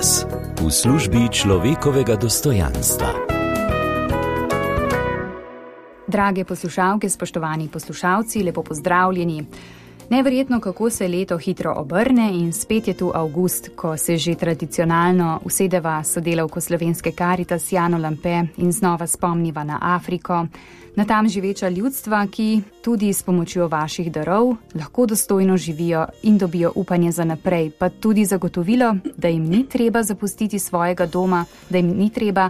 Karitas v službi človekovega dostojanstva. Drage poslušalke, spoštovani poslušalci, lepo pozdravljeni. Neverjetno, kako se leto hitro obrne in spet je tu avgust, ko se že tradicionalno usedeva sodelavko slovenske Karitas Jano Lampe in znova spomniva na Afriko, na tam živeča ljudstva, ki tudi s pomočjo vaših darov lahko dostojno živijo in dobijo upanje za naprej, pa tudi zagotovilo, da jim ni treba zapustiti svojega doma, da jim ni treba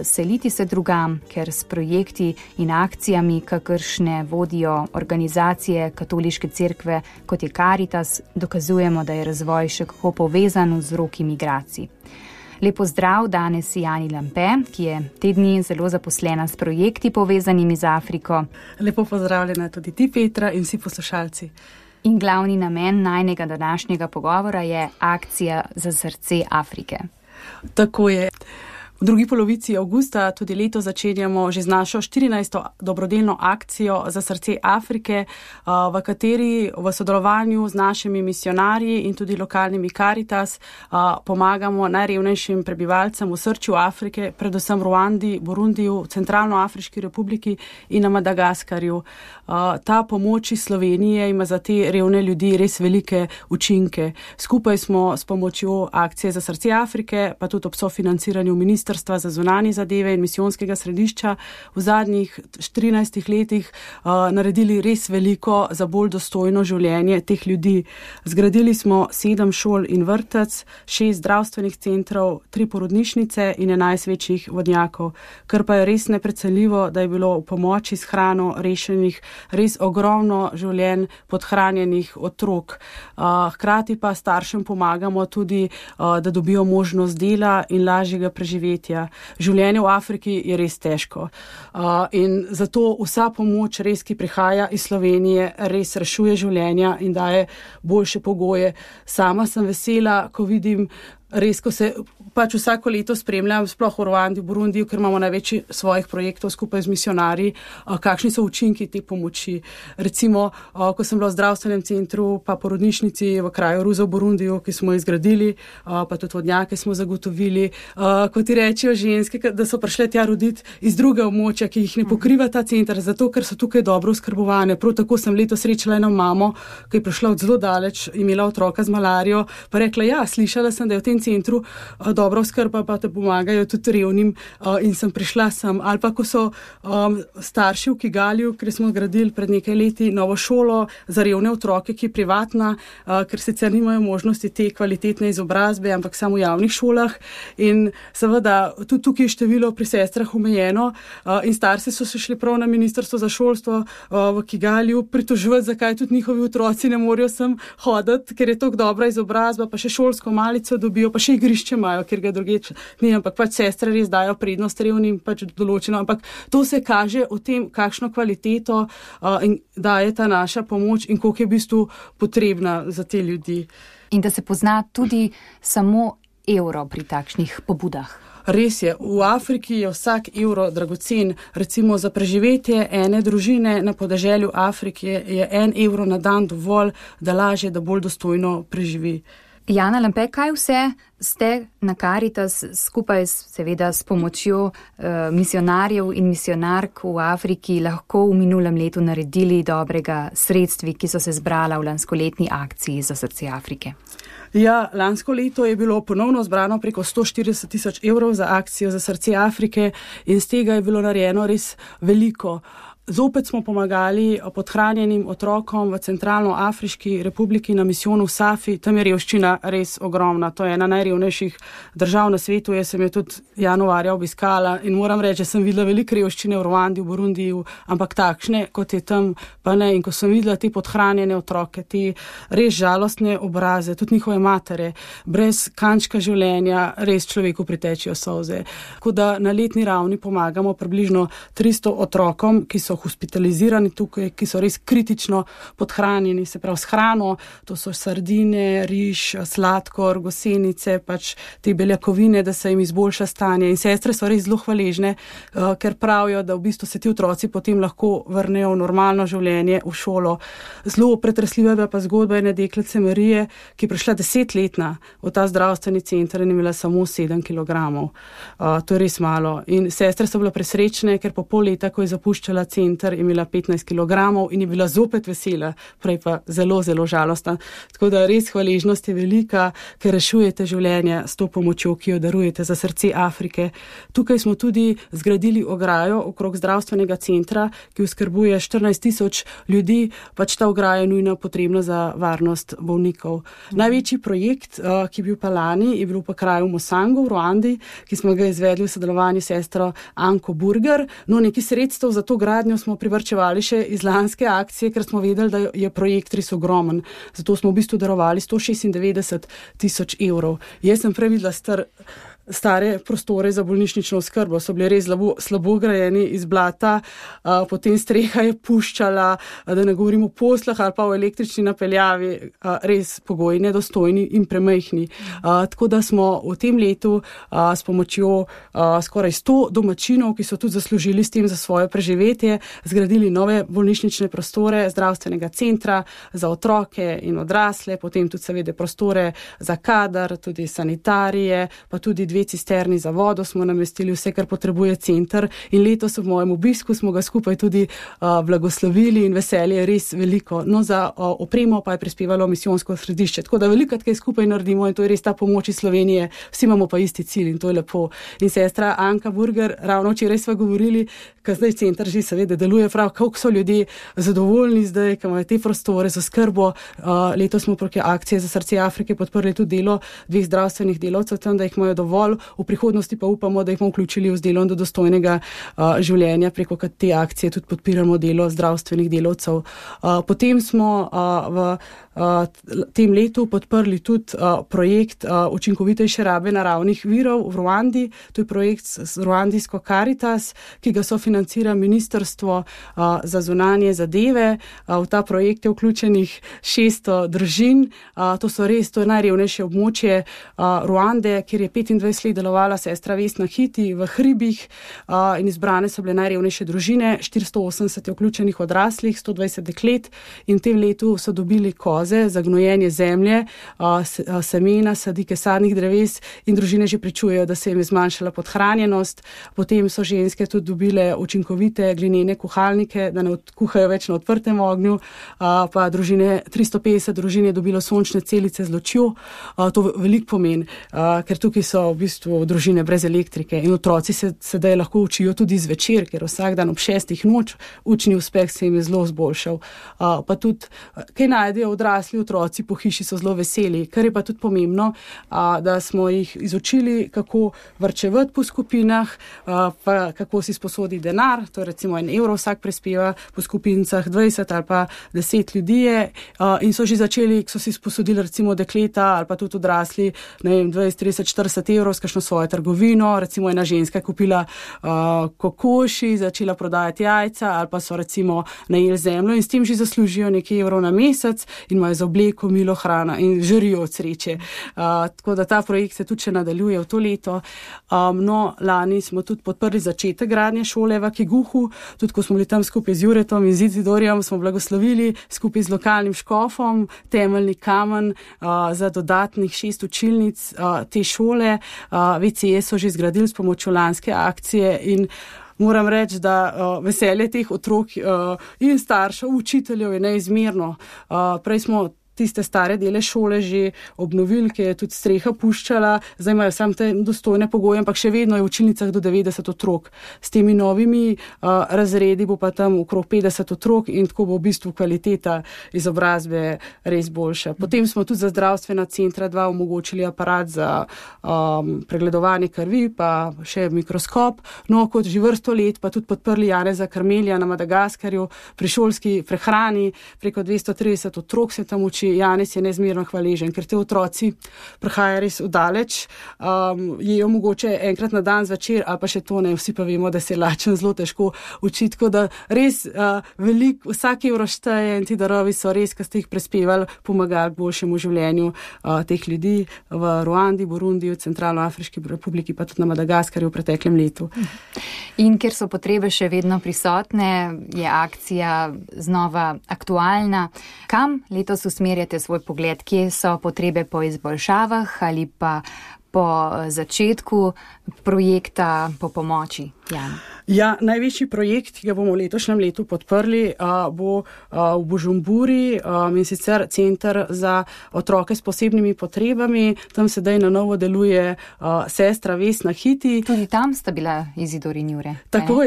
seliti se drugam, ker s projekti in akcijami, kakršne vodijo organizacije katoliške cerkve, kot je Karitas, dokazujemo, da je razvoj še kako povezan z vzroki migracij. Lepo zdrav danes Jani Lampe, ki je te dni zelo zaposlena s projekti povezanimi z Afriko. Lepo pozdravljena tudi ti, Petra, in vsi poslušalci. In glavni namen najnega današnjega pogovora je akcija za srce Afrike. Tako je. V drugi polovici avgusta tudi leto začenjamo že z našo 14. dobrodelno akcijo za srce Afrike, v kateri v sodelovanju z našimi misionarji in tudi lokalnimi Karitas pomagamo najrevnejšim prebivalcem v srču Afrike, predvsem Ruandi, Burundiju, Centralnoafriški republiki in na Madagaskarju. Ta pomoč iz Slovenije ima za te revne ljudi res velike učinke. Skupaj smo s pomočjo akcije za srce Afrike, pa tudi ob sofinanciranju Ministrstva za zunanje zadeve in misijonskega središča v zadnjih 14 letih naredili res veliko za bolj dostojno življenje teh ljudi. Zgradili smo 7 šol in vrtec, 6 zdravstvenih centrov, 3 porodnišnice in 11 večjih vodnjakov, kar pa je res neprecenljivo, da je bilo v pomoči s hrano rešenih res ogromno življenj podhranjenih otrok. Hkrati pa staršem pomagamo tudi, da dobijo možnost dela in lažjega preživetja. Življenje v Afriki je res težko. In zato vsa pomoč res, ki prihaja iz Slovenije, res rešuje življenja in daje boljše pogoje. Sama sem vesela, ko vidim res, ko se pač vsako leto spremljam, sploh v Ruandi, v Burundiju, ker imamo največ svojih projektov skupaj z misionarji, kakšni so učinki te pomoči. Recimo, ko sem bila v zdravstvenem centru, pa porodnišnici v kraju Ruza v Burundiju, ki smo jih zgradili, pa tudi vodnjake smo zagotovili, kot ti rečejo ženske, da so prišle tja roditi iz druge območja, ki jih ne pokriva ta center, zato ker so tukaj dobro oskrbovane. Prav tako sem letos srečala eno mamo, ki je prišla od zelo daleč, imela otroka z malarijo, pa rekla, ja, slišala sem, da je v tem centru dobro oskrba, pa te pomagajo tudi revnim in sem prišla sem. Ali pa ko so starši v Kigaliju, ker smo zgradili pred nekaj leti novo šolo za revne otroke, ki je privatna, ker sicer nimajo možnosti te kvalitetne izobrazbe, ampak samo v javnih šolah. In seveda tudi tukaj je število pri sestrah omejeno in starci so se šli prav na Ministrstvo za šolstvo v Kigaliju pritoževati, zakaj tudi njihovi otroci ne morejo sem hoditi, ker je tako dobra izobrazba, pa še šolsko malico dobijo, pa še igrišče imajo, ker ga drugeč ni, ampak pač sestre res dajo prednost revnim, pač določeno, ampak to se kaže v tem, kakšno kvaliteto daje ta naša pomoč in koliko je v bistvu potrebna za te ljudi. In da se pozna tudi samo evro pri takšnih pobudah. Res je, v Afriki je vsak evro dragocen. Recimo za preživetje ene družine na podeželju Afrike je 1 evro na dan dovolj, da lažje, da bolj dostojno preživi. Jana Lampe, kaj vse ste na Karitas skupaj seveda s pomočjo misionarjev in misionark v Afriki lahko v minulem letu naredili dobrega sredstvi, ki so se zbrala v lanskoletni akciji za srce Afrike? Ja, lansko leto je bilo ponovno zbrano preko 140 000 evrov za akcijo za srce Afrike in z tega je bilo narejeno res veliko. Zopet smo pomagali podhranjenim otrokom v Centralnoafriški republiki na misijonu v Safi. Tam je revščina res ogromna. To je ena najrevnejših držav na svetu. Jaz sem jo tudi januarja obiskala in moram reči, da sem videla veliko revščine v Ruandi, v Burundiju, ampak takšne, kot je tam, pa ne. In ko sem videla te podhranjene otroke, te res žalostne obraze, tudi njihove matere, brez kančka življenja, res človeku pritečijo solze. Tako da na letni ravni pomagamo približno 300 otrokom, ki so so hospitalizirani tukaj, ki so res kritično podhranjeni, se pravi s hrano, to so sardine, riž, sladkor, gosenice, pač te beljakovine, da se jim izboljša stanje. In sestre so res zelo hvaležne, ker pravijo, da v bistvu se ti otroci potem lahko vrnejo v normalno življenje, v šolo. Zelo pretresljiva je pa zgodba ene deklice Marije, ki je prišla 10-letna v ta zdravstveni center in imela samo 7 kilogramov. To je res malo. In sestre so bile presrečne, ker po pol leta, ko je zapuščala center, je imela 15 kilogramov in je bila zopet vesela, prej pa zelo, zelo žalostna. Tako da res hvaležnost je velika, ker rešujete življenje s to pomočjo, ki jo darujete za srce Afrike. Tukaj smo tudi zgradili ograjo okrog zdravstvenega centra, ki oskrbuje 14,000 ljudi, pač ta ograja je nujno potrebna za varnost bolnikov. Največji projekt, ki je bil pa lani, je bil pa kraju Mosango v Ruandi, ki smo ga izvedli v sodelovanju s sestro Anko Burger. No, nekaj sredstev za to gradnjo smo privrčevali še iz lanske akcije, ker smo vedeli, da je projekt res ogromen. Zato smo v bistvu darovali 196,000 evrov. Jaz sem prej videla stare prostore za bolnišnično oskrbo, so bili res slabo grajeni iz blata, potem streha je puščala, da ne govorimo o poslah ali pa o električni napeljavi, res pogoji nedostojni in premajhni. Tako da smo v tem letu s pomočjo skoraj 100 domačinov, ki so tudi zaslužili s tem za svoje preživetje, zgradili nove bolnišnične prostore zdravstvenega centra za otroke in odrasle, potem tudi seveda prostore za kadar, tudi sanitarije, pa tudi 2 cisterni za vodo smo namestili, vse, kar potrebuje center. In letos v mojem obisku smo ga skupaj tudi blagoslovili in veselje je res veliko. No, za opremo pa je prispevalo misijonsko središče. Tako da velikokrat kaj skupaj naredimo in to je res ta pomoč iz Slovenije. Vsi imamo pa isti cilj in to je lepo. In sestra Anka Burger, ravno včeraj sva govorili, ker zdaj center že seveda deluje prav, kako so ljudje zadovoljni zdaj, ko imajo te prostore za skrbo. Letos smo preko akcije za srce Afrike podprli tudi delo 2 zdravstvenih delavcev tam, da jih imajo dovolj. V prihodnosti pa upamo, da jih bomo vključili v delom do dostojnega življenja, preko te akcije tudi podpiramo delo zdravstvenih delavcev. Potem smo v tem letu podprli tudi projekt učinkovitejše rabe naravnih virov v Ruandi. To je projekt z ruandijsko Caritas, ki ga sofinancira Ministrstvo za zunanje zadeve. V ta projekt je vključenih 600 družin. To je najrevnejše območje Ruande, kjer je 25 let delovala sestra Vesna Hiti v hribih in izbrane so bile najrevnejše družine, 480 je vključenih odraslih, 120 deklet in v tem letu so dobili koze za gnojenje zemlje, semena, sadike sadnih dreves in družine že pričujejo, da se jim je zmanjšala podhranjenost. Potem so ženske tudi dobile učinkovite glinene kuhalnike, da ne kuhajo več na odprtem ognju, pa 350 družin je dobilo sončne celice z lučjo. To veliko pomeni, ker tukaj so v bistvu družine brez elektrike in otroci se sedaj lahko učijo tudi zvečer, ker vsak dan ob 6 noč učni uspeh se jim je zelo izboljšal. Pa tudi, kaj najdejo odrasli otroci po hiši, so zelo veseli, kar je pa tudi pomembno, da smo jih izučili, kako varčevati po skupinah, pa kako si sposoditi denar, to je recimo 1 evro vsak prispeva, po skupinicah 20 ali pa 10 ljudi je, in so že začeli, ko so si sposodili recimo dekleta ali pa tudi odrasli, 20, 30, 40 evrov s kakšno svojo trgovino, recimo ena ženska je kupila kokoši, začela prodajati jajca ali pa so recimo najeli zemljo in s tem že zaslužijo nekaj evrov na mesec in imajo za obleko, milo, hrana in žarijo od sreče. Tako da ta projekt se tudi še nadaljuje v to leto. No, lani smo tudi podprli začetek gradnje šole v Kiguhu, tudi ko smo bili tam skupaj z Juretom in z Izidorjem, smo blagoslovili skupaj z lokalnim škofom temeljni kamen za dodatnih 6 učilnic te šole. VCE so že zgradili s pomočjo lanske akcije in moram reči, da veselje teh otrok in staršev, učiteljev je neizmerno. Prej smo tiste stare dele šole že obnovili, ki je tudi streha puščala, zdaj imajo samo te dostojne pogoje, ampak še vedno je v učilnicah do 90 otrok. S temi novimi razredi bo pa tam okrog 50 otrok in tako bo v bistvu kvaliteta izobrazbe res boljša. Potem smo tudi za zdravstvena centra 2 omogočili aparat za pregledovanje krvi, pa še mikroskop. No, kot že vrsto let pa tudi podprli Janeza Karmelja na Madagaskarju pri šolski prehrani, preko 230 otrok se tam uči Janez je neizmerno hvaležen, ker te otroci prihajajo res vdaleč, jejo mogoče enkrat na dan zvečer, ali pa še to ne, vsi pa vemo, da se je lačen zelo težko učiti, tako da res vsak evro šteje in ti darovi so res, ki ste jih prispevali, pomagali k boljšemu življenju teh ljudi v Ruandi, Burundiju, Centralnoafriški republiki, pa tudi na Madagaskarju v preteklem letu. In ker so potrebe še vedno prisotne, je akcija znova aktualna. Kam letos usmerjate svoj pogled? Kje so potrebe po izboljšavah ali pa po začetku projekta, po pomoči? Jana. Ja, največji projekt, ki ga bomo v letošnjem letu podprli, bo v Bujumburi, in sicer Center za otroke s posebnimi potrebami. Tam sedaj na novo deluje sestra Vesna Hiti. Tudi tam sta bila Izidor in Jure. Tako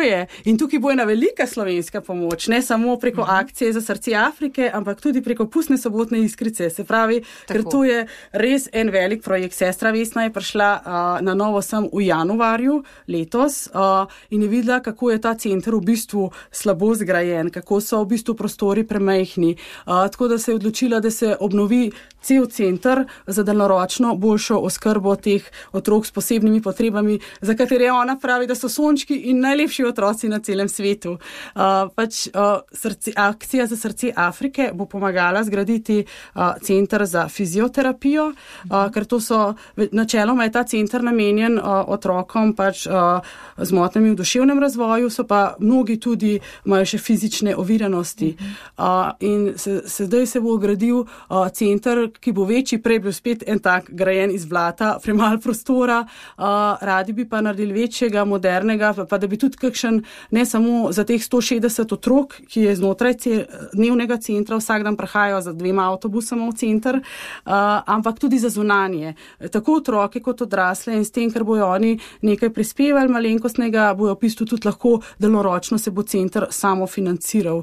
je. In tukaj bo ena velika slovenska pomoč, ne samo preko akcije za srce Afrike, ampak tudi preko pustne sobotne iskrice. Se pravi, ker to je res en velik projekt. Sestra Vesna je prišla na novo sem v januarju letos, in je videla, kako je ta center v bistvu slabo zgrajen, kako so v bistvu prostori premajhni. Tako da se je odločila, da se obnovi cel center za daljnoročno boljšo oskrbo teh otrok s posebnimi potrebami, za katere ona pravi, da so sončki in najlepši otroci na celem svetu. Akcija za srce Afrike bo pomagala zgraditi center za fizioterapijo, ker to so, načeloma je ta center namenjen otrokom z motnjami v duševnem razvoju, so pa mnogi tudi imajo še fizične oviranosti. In sedaj se bo gradil center, ki bo večji, prej bil spet en tak grajen iz blata, premalo prostora, radi bi pa naredili večjega, modernega, pa da bi tudi kakšen, ne samo za teh 160 otrok, ki je znotraj dnevnega centra, vsak dan prihajajo za 2 avtobusama v center, ampak tudi za zunanje. Tako otroke kot odrasle in s tem, ker bojo oni nekaj prispevali malenkostnega, bojo v bistvu tudi lahko daljnoročno se bo center samo financiral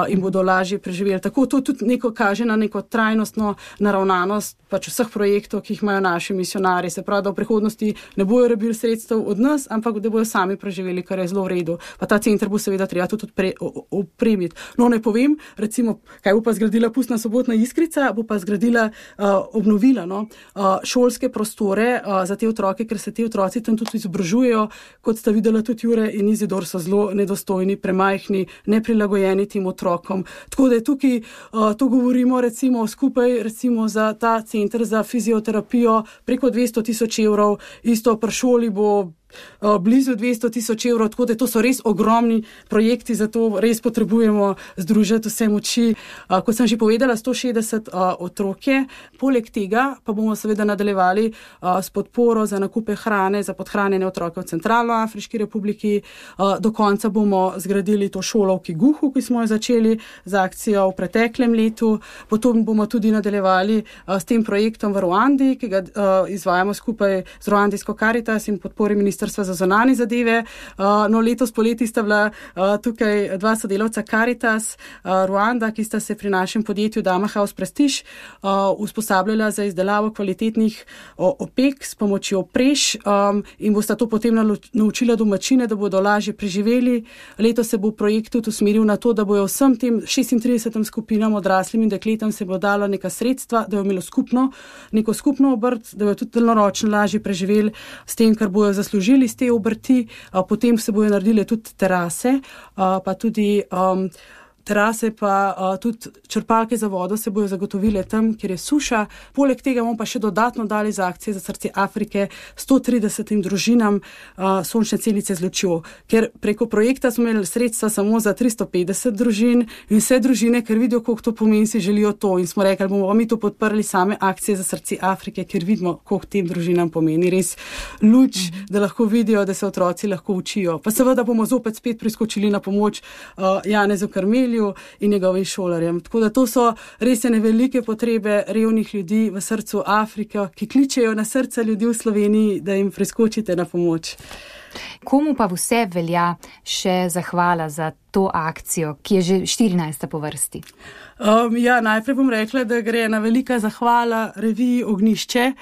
in bodo lažje preživeli. Tako to tudi neko kaže na neko trajnostno naravnanost vseh projektov, ki jih imajo naši misionarji. Se pravi, da v prihodnosti ne bojo rabili sredstev od nas, ampak da bojo sami preživeli, kar je zelo v redu. Pa ta center bo seveda treba tudi opremiti. No, ne povem, recimo, kaj bo pa zgradila pustna sobotna iskrica, bo pa zgradila, obnovila šolske prostore za te otroke, ker se te otroci tam tudi izobražujejo, kot sta videla tudi Jure in Izidor, so zelo nedostojni, premajhni, neprilagojeni tem otrokom. Tako da je tukaj, to govorimo recimo skupaj, recimo za ta center za fizioterapijo preko 200,000 evrov, isto pri šoli bo blizu 200,000 evrov, tako da to so res ogromni projekti, zato res potrebujemo združiti vse moči. Kot sem že povedala, 160 otrok je. Poleg tega pa bomo seveda nadaljevali s podporo za nakupe hrane za podhranjene otroke v Centralnoafriški republiki. Do konca bomo zgradili to šolo v Kiguhu, ki smo jo začeli z akcijo v preteklem letu. Potom bomo tudi nadaljevali s tem projektom v Ruandi, ki ga izvajamo skupaj z ruandijsko Caritas in podpori Ministrstva za zunanje zadeve. No, letos poleti sta bila tukaj 2 sodelavca Caritas Ruanda, ki sta se pri našem podjetju Dama House Prestige usposabljala za izdelavo kvalitetnih opek s pomočjo preš in bosta to potem naučila domačine, da bodo lažje preživeli. Letos se bo projekt tudi usmeril na to, da bojo vsem tem 36 skupinam odraslim in dekletam se bo dalo neka sredstva, da bojo imelo neko skupno obrt, da bojo tudi daljnoročno lažje preživeli s tem, kar bojo zaslužili iz te obrti. Potem se bojo naredile tudi terase, pa tudi terase pa tudi črpalke za vodo se bojo zagotovile tam, kjer je suša. Poleg tega bomo pa še dodatno dali za akcije za srce Afrike 130 družinam sončne celice z lučjo, ker preko projekta smo imeli sredstva samo za 350 družin in vse družine, ker vidijo, koliko to pomeni, si želijo to in smo rekli, bomo mi to podprli same akcije za srce Afrike, ker vidimo, koliko tem družinam pomeni res luč, da lahko vidijo, da se otroci lahko učijo. Pa seveda bomo zopet spet priskočili na pomoč Janezu Karmelju in njegovim šolarjem. Tako da to so res ene velike potrebe revnih ljudi v srcu Afrike, ki kličejo na srca ljudi v Sloveniji, da jim priskočite na pomoč. Komu pa vse velja še zahvala za to akcijo, ki je že 14. po vrsti? Najprej bom rekla, da gre ena velika zahvala reviji Ognjišče,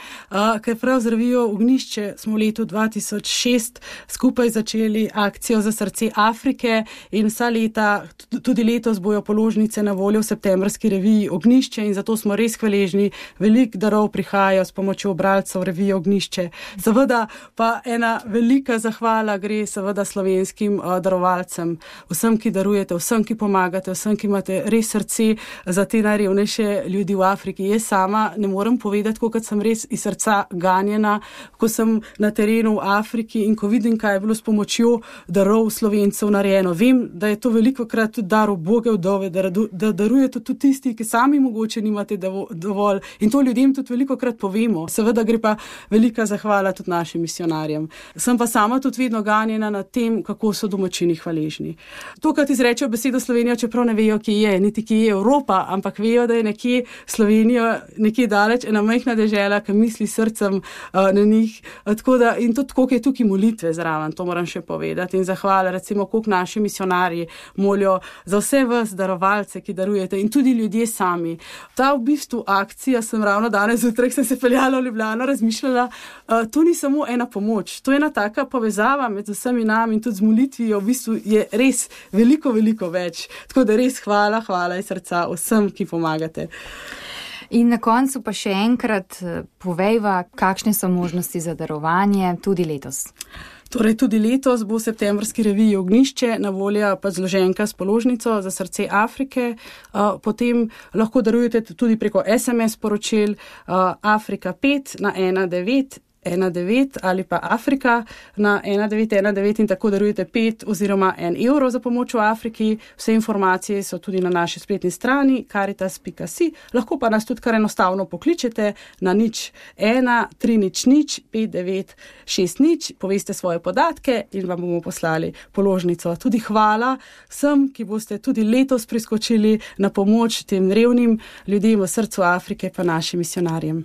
ker prav z revijo Ognjišče smo v letu 2006 skupaj začeli akcijo za srce Afrike in vsa leta, tudi letos bojo položnice na voljo v septembrski reviji Ognjišče in zato smo res hvaležni. Veliko darov prihajajo s pomočjo bralcev revije Ognjišče. Seveda pa ena velika zahvala gre seveda slovenskim darovalcem, vsem, ki darujete, vsem, ki pomagate, vsem, ki imate res srce za te najrevnejše ljudi v Afriki. Jaz sama ne morem povedati, koliko sem res iz srca ganjena, ko sem na terenu v Afriki in ko vidim, kaj je bilo s pomočjo darov Slovencev narejeno. Vem, da je to velikokrat tudi dar uboge vdove, da darujete tudi tisti, ki sami mogoče nimate dovolj in to ljudem tudi velikokrat povemo. Seveda gre pa velika zahvala tudi našim misionarjem. Sem pa sama tudi vedno ganjena nad tem, kako so domačini hvaležni. To, kad izrečejo besedo Slovenija, čeprav ne vejo, kje je, niti kje je Evropa, ampak vejo, da je nekje Slovenija, nekje daleč, ena majhna dežela, ki misli srcem na njih. Tako da, in tudi koliko je tukaj molitve zraven, to moram še povedati. In zahvala, recimo, koliko naši misionarji molijo za vse vas darovalce, ki darujete in tudi ljudje sami. Ta v bistvu akcija, sem ravno danes zjutraj, sem se peljala v Ljubljano, razmišljala, to ni samo ena pomoč, to je ena taka povezava med vsemi nami in tudi z molitvijo, v bistvu je res veliko, veliko več. Tako da res hvala iz srca vsem, ki pomagate. In na koncu pa še enkrat povejva, kakšne so možnosti za darovanje tudi letos. Torej, tudi letos bo v septembrski reviji Ognjišče na voljo pa zloženka s položnico za srce Afrike. Potem lahko darujete tudi preko SMS sporočil Afrika 5 na 1919 ali pa Afrika na 1919 in tako darujete 5 oziroma 1 evro za pomoč v Afriki. Vse informacije so tudi na naši spletni strani caritas.si. Lahko pa nas tudi kar enostavno pokličete na 01 300 5960, poveste svoje podatke in vam bomo poslali položnico. Tudi hvala vsem, ki boste tudi letos priskočili na pomoč tem revnim ljudem v srcu Afrike pa našim misionarjem.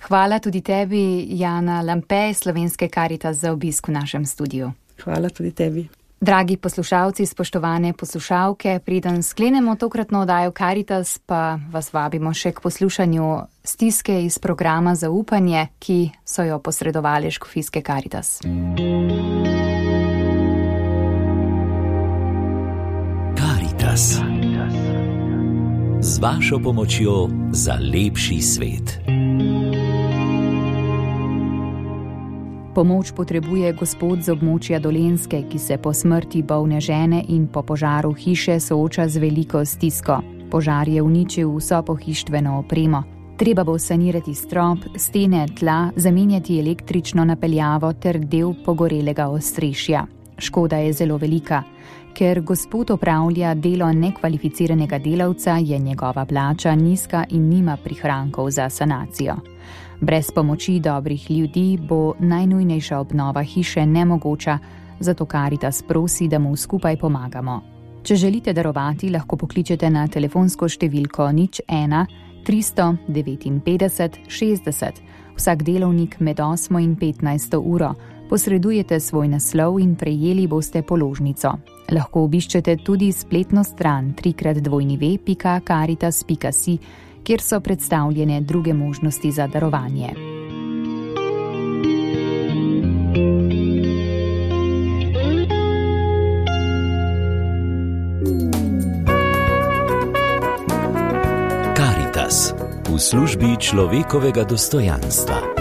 Hvala tudi tebi, Jana Lampe, Slovenske Caritas, za obisk v našem studiu. Hvala tudi tebi. Dragi poslušalci, spoštovane poslušalke, preden sklenemo tokratno oddajo Caritas, pa vas vabimo še k poslušanju stiske iz programa Zaupanje, ki so jo posredovali škofijske Caritas. Caritas. Z vašo pomočjo za lepši svet. Pomoč potrebuje gospod z območja Dolenjske, ki se po smrti bolne žene in po požaru hiše sooča z veliko stisko. Požar je uničil vso pohištveno opremo. Treba bo sanirati strop, stene, tla, zamenjati električno napeljavo ter del pogorelega ostrešja. Škoda je zelo velika. Ker gospod opravlja delo nekvalificiranega delavca, je njegova plača nizka in nima prihrankov za sanacijo. Brez pomoči dobrih ljudi bo najnujnejša obnova hiše nemogoča, zato Caritas prosi, da mu skupaj pomagamo. Če želite darovati, lahko pokličete na telefonsko številko 01 359 60, vsak delovnik med 8 in 15 uro. Posredujete svoj naslov in prejeli boste položnico. Lahko obiščete tudi spletno stran www.caritas.si, kjer so predstavljene druge možnosti za darovanje. Caritas v službi človekovega dostojanstva.